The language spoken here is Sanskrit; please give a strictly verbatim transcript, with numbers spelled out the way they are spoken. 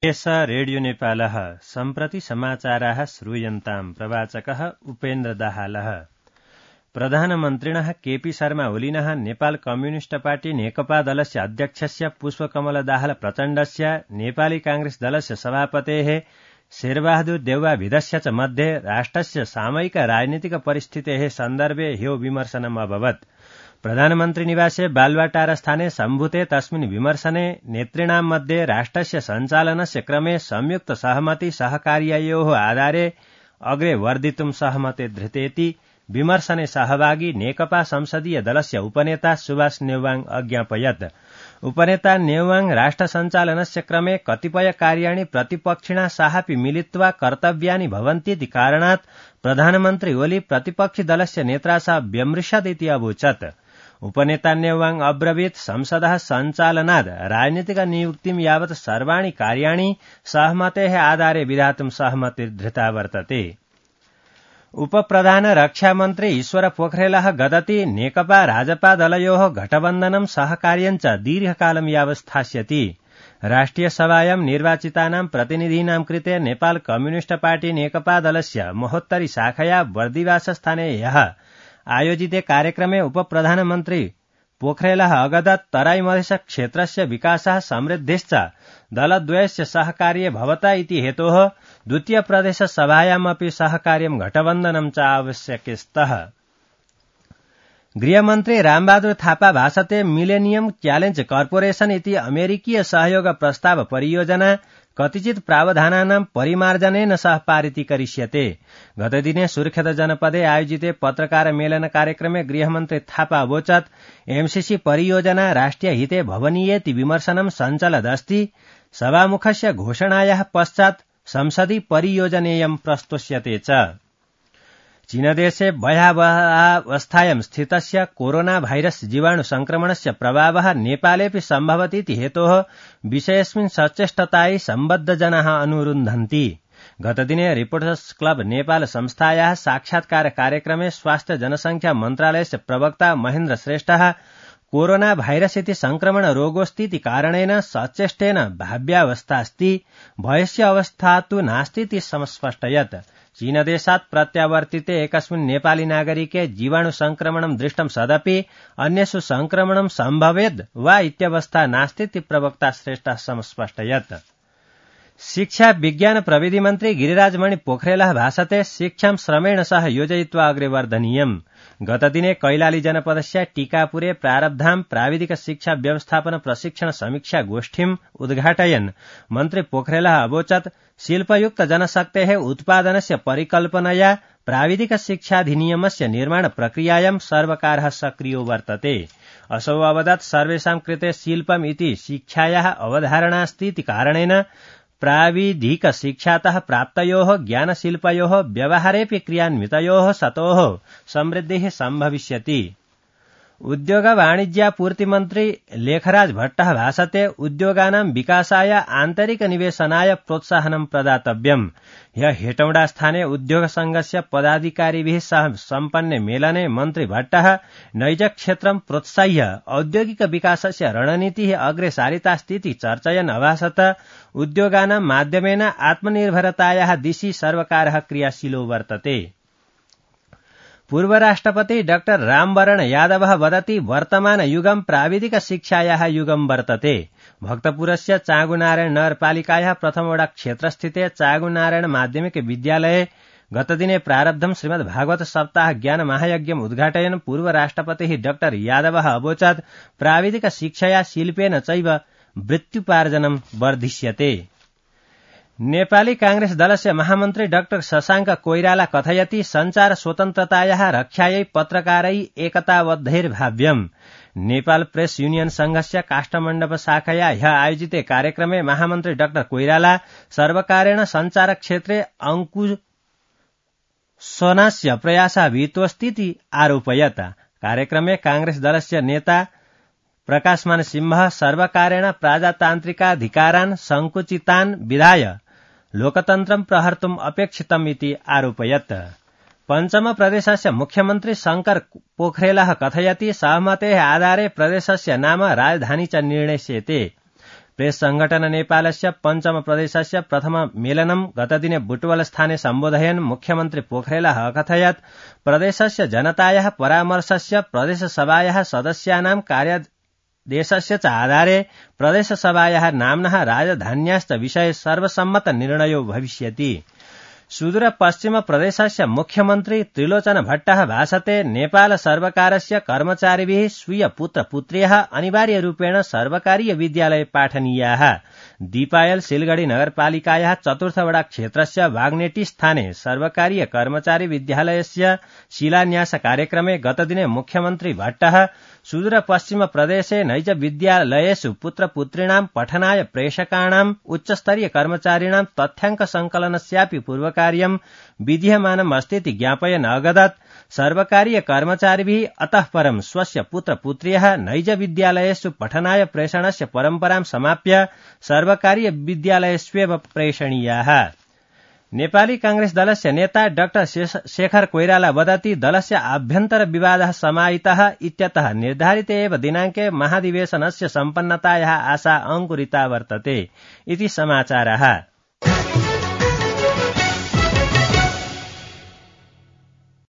एष रेडियो नेपालः सम्प्रति समाचाराः श्रूयन्ताम्। प्रवाचकः उपेन्द्र दाहालः। प्रधानमन्त्रिणः केपी शर्मा ओलिनः नेपाल कम्युनिस्ट पार्टी नेकपा दलस्य अध्यक्षस्य पुष्पकमल दाहाल प्रचण्डस्य नेपाली कांग्रेस दलस्य सभापतेः शेरबहादुर देउवाभिधस्य च मध्ये राष्ट्रस्य सामयिक राजनीतिक परिस्थितेः सन्दर्भे ह्यो विमर्शनम् अभवत्। प्रधानमन्त्री निवासे बालुवाटार स्थाने सम्भूते तस्मिन् विमर्शने नेतॄणां मध्ये राष्ट्रस्य सञ्चालनस्य क्रमे संयुक्त सहमति सहकार्ययोः आधारे अग्रे वर्धितुं सहमते धृतेति विमर्शने सहभागी नेकपा संसदीय दलस्य उपनेता सुभाष नेउवाङ अज्ञापयत्। उपनेता नेउवाङ राष्ट्र सञ्चालनस्य क्रमे कतिपय कार्याणि प्रतिपक्षिणा साहापि मिलित्वा कर्तव्यानि भवन्तीति कारणात् प्रधानमन्त्री ओली प्रतिपक्षि दलस्य नेत्रा सह व्यमृशत् इति अवोचत्। उपनेता नेउवाङ अब्रवीत् संसदः सञ्चालनाद् राजनीतिक नियुक्तिं यावत् सर्वाणि कार्याणि सहमतेः आधारे विधातुं सहमतिर्धृता वर्तते। उपप्रधान रक्षामन्त्री ईश्वर पोखरेलः गदति नेकपा राजपा दलयोः गठबन्धनं सहकार्यञ्च दीर्घकालं यावत् स्थास्यति। राष्ट्रिय सभायां निर्वाचितानां प्रतिनिधीनां कृते नेपाल कम्युनिस्ट पार्टी नेकपा दलस्य महोत्तरी शाखया बर्दिवासस्थाने ह्यः आयोजिते कार्यक्रमे उपप्रधानमन्त्री पोखरेलः अगदत् तराई मधेश क्षेत्रस्य विकासः समृद्धिश्च दलद्वयस्य सहकार्ये भवता इति हेतोः द्वितीय प्रदेश सभायामपि सहकार्यं घटबन्धनं च आवश्यकस्तः। गृहमन्त्री रामबहादुर थापा भाषते मिलेनियम च्यालेन्ज कर्पोरेशन इति अमेरिकीय सहयोग प्रस्ताव परियोजना कतिचित् प्रावधानानां परिमार्जनेन सह पारितीकरिष्यते। गतदिने सुर्खेत जनपदे आयोजिते पत्रकार मेलन कार्यक्रमे गृहमन्त्री थापा अवोचत् एमसीसी परियोजना राष्ट्रिय हिते भवनीयेति विमर्शनं सञ्चलदस्ति। सभामुखस्य घोषणायाः पश्चात् संसदि परियोजनेयं प्रस्तोष्यते च। चीनदेशे भयावहावस्थायां स्थितस्य कोरोना भाइरस जीवाणु संक्रमणस्य प्रभावः नेपालेऽपि सम्भवतीति हेतोः विषयेऽस्मिन् सचेष्टतायै सम्बद्धजनाः अनुरुन्धन्ति। गतदिने रिपोर्टर्स क्लब नेपाल संस्थायाः साक्षात्कार कार्यक्रमे स्वास्थ्य जनसंख्या मन्त्रालयस्य प्रवक्ता महेन्द्र श्रेष्ठः कोरोना भाइरस इति संक्रमण रोगोऽस्तीति कारणेन सचेष्टेन भाव्यावस्थास्ति, भयस्य अवस्था तु नास्तीति समस्पष्टयत्। चीनदेशात् प्रत्यावर्तिते एकस्मिन् नेपाली नागरिके जीवाणु संक्रमणं दृष्टं सदपि अन्येषु संक्रमणं सम्भवेद् वा इत्यवस्था नास्तीति प्रवक्ता श्रेष्ठः समस्पष्टयत्। शिक्षा विज्ञान प्रविधि मन्त्री गिरिराजमणि पोखरेलः भाषते शिक्षां श्रमेण सह योजयित्वा अग्रे वर्धनीयम्। गतदिने कैलाली जनपदस्य टीकापुरे प्रारब्धां प्राविधिक शिक्षा व्यवस्थापन प्रशिक्षण समीक्षा गोष्ठीम् उद्घाटयन् मन्त्री पोखरेलः अवोचत् शिल्पयुक्त जनशक्तेः उत्पादनस्य परिकल्पनया प्राविधिक शिक्षाधिनियमस्य निर्माण प्रक्रियायां सर्वकारः सक्रियो वर्तते। असौ अवदत् सर्वेषां कृते शिल्पम् इति शिक्षायाः अवधारणास्तीति कारणेन प्राविधिक शिक्षातः प्राप्तयोः ज्ञानशिल्पयोः व्यवहारेऽपि क्रियान्वितयोः सतोः समृद्धिः सम्भविष्यति। उद्योग वाणिज्यापूर्ति मन्त्री लेखराज भट्टः भाषते उद्योगानां विकासाय आन्तरिक निवेशनाय प्रोत्साहनं प्रदातव्यम्। ह्यः हेटौडा स्थाने उद्योग संघस्य पदाधिकारिभिः सह सम्पन्ने मेलने मन्त्री भट्टः नैज क्षेत्रं प्रोत्साह्य औद्योगिक विकासस्य रणनीतिः अग्रे सारितास्तीति चर्चयन् अभाषत उद्योगानां माध्यमेन आत्मनिर्भरतायाः दिशि सर्वकारः क्रियाशीलो वर्तते। पूर्व राष्ट्रपति डाक्टर रामवरण यादवः वदति वर्तमान युगं प्राविधिक शिक्षायाः युगं वर्तते। भक्तपुरस्य चाँगुनारायण नगरपालिकायाः प्रथमवटा क्षेत्रस्थिते चाँगुनारायण माध्यमिक विद्यालये गतदिने प्रारब्धं श्रीमद्भागवत सप्ताह ज्ञान महायज्ञम् उद्घाटयन् पूर्व राष्ट्रपतिः डाक्टर यादवः अवोचत् प्राविधिक शिक्षया शिल्पेन चैव वृत्त्युपार्जनं वर्धिष्यते। नेपाली कांग्रेस दलस्य महामन्त्री डाक्टर शशाङ्क कोइराला कथयति सञ्चार स्वतन्त्रतायाः रक्षायै पत्रकारै एकताबद्धैर्भाव्यम्। नेपाल प्रेस युनियन संघस्य काष्ठमण्डप शाखया ह्यः आयोजिते कार्यक्रमे महामन्त्री डाक्टर कोइराला सर्वकारेण सञ्चार क्षेत्रे अंकुशनस्य प्रयासः विहितोऽस्तीति आरोपयत्। कार्यक्रमे कांग्रेस दलस्य नेता प्रकाशमान सिंह सर्वकारेण प्रजातान्त्रिकाधिकारान् संकुचितान् विधाय लोकतन्त्रं प्रहर्तुम् अपेक्षितम् इति आरोपयत्। पञ्चम प्रदेशस्य मुख्यमन्त्री शंकर पोखरेलः कथयति सहमतेः आधारे प्रदेशस्य नाम राजधानी च निर्णयस्यते। प्रेस संघटन नेपालस्य पञ्चम प्रदेशस्य प्रथम मेलनं गतदिने बुटवलस्थाने सम्बोधयन् मुख्यमन्त्री पोखरेलः अकथयत् प्रदेशस्य जनतायाः परामर्शस्य प्रदेशसभायाः सदस्यानां कार्यादेशस्य च आधारे प्रदेशसभायाः नाम्नः राजधान्याश्च विषये सर्वसम्मत निर्णयो भविष्यति। सुदूर पश्चिम प्रदेशस्य मुख्यमन्त्री त्रिलोचन भट्टः भाषते नेपाल सर्वकारस्य कर्मचारीभिः स्वीय पुत्र पुत्र्यः अनिवार्यरूपेण सर्वकारीय विद्यालये पाठनीयाः। दीपायल सिलगढ़ी नगरपालिकायाः चतुर्थवडा क्षेत्रस्य वाग्नेटी स्थाने सर्वकारीय कर्मचारी विद्यालयस्य शिलान्यास कार्यक्रमे गतदिने मुख्यमन्त्री भट्टः सुदूर पश्चिम प्रदेशे नैज विद्यालयेषु पुत्रपुत्रीणां पठनाय प्रेषकाणाम् उच्चस्तरीय कर्मचारिणां तथ्याङ्क संकलनस्यापि पूर्वकार्यं विधीयमानम् अस्तीति ज्ञापयन् अवदत् सर्वकारीय कर्मचारिभिः अतः परं स्वस्य पुत्रपुत्र्यः नैज विद्यालयेषु पठनाय प्रेषणस्य परम्परां समाप्य सर्वकारीय विद्यालयेष्वेव प्रेषणीयाः। नेपाली कांग्रेस दलस्य नेता डाक्टर शेखर कोइराला वदति दलस्य आभ्यन्तर विवादः समाहितः इत्यतः निर्धारिते एव दिनाङ्के महाधिवेशनस्य सम्पन्नतायाः आशा अङ्कुरिता वर्तते इति समाचारः।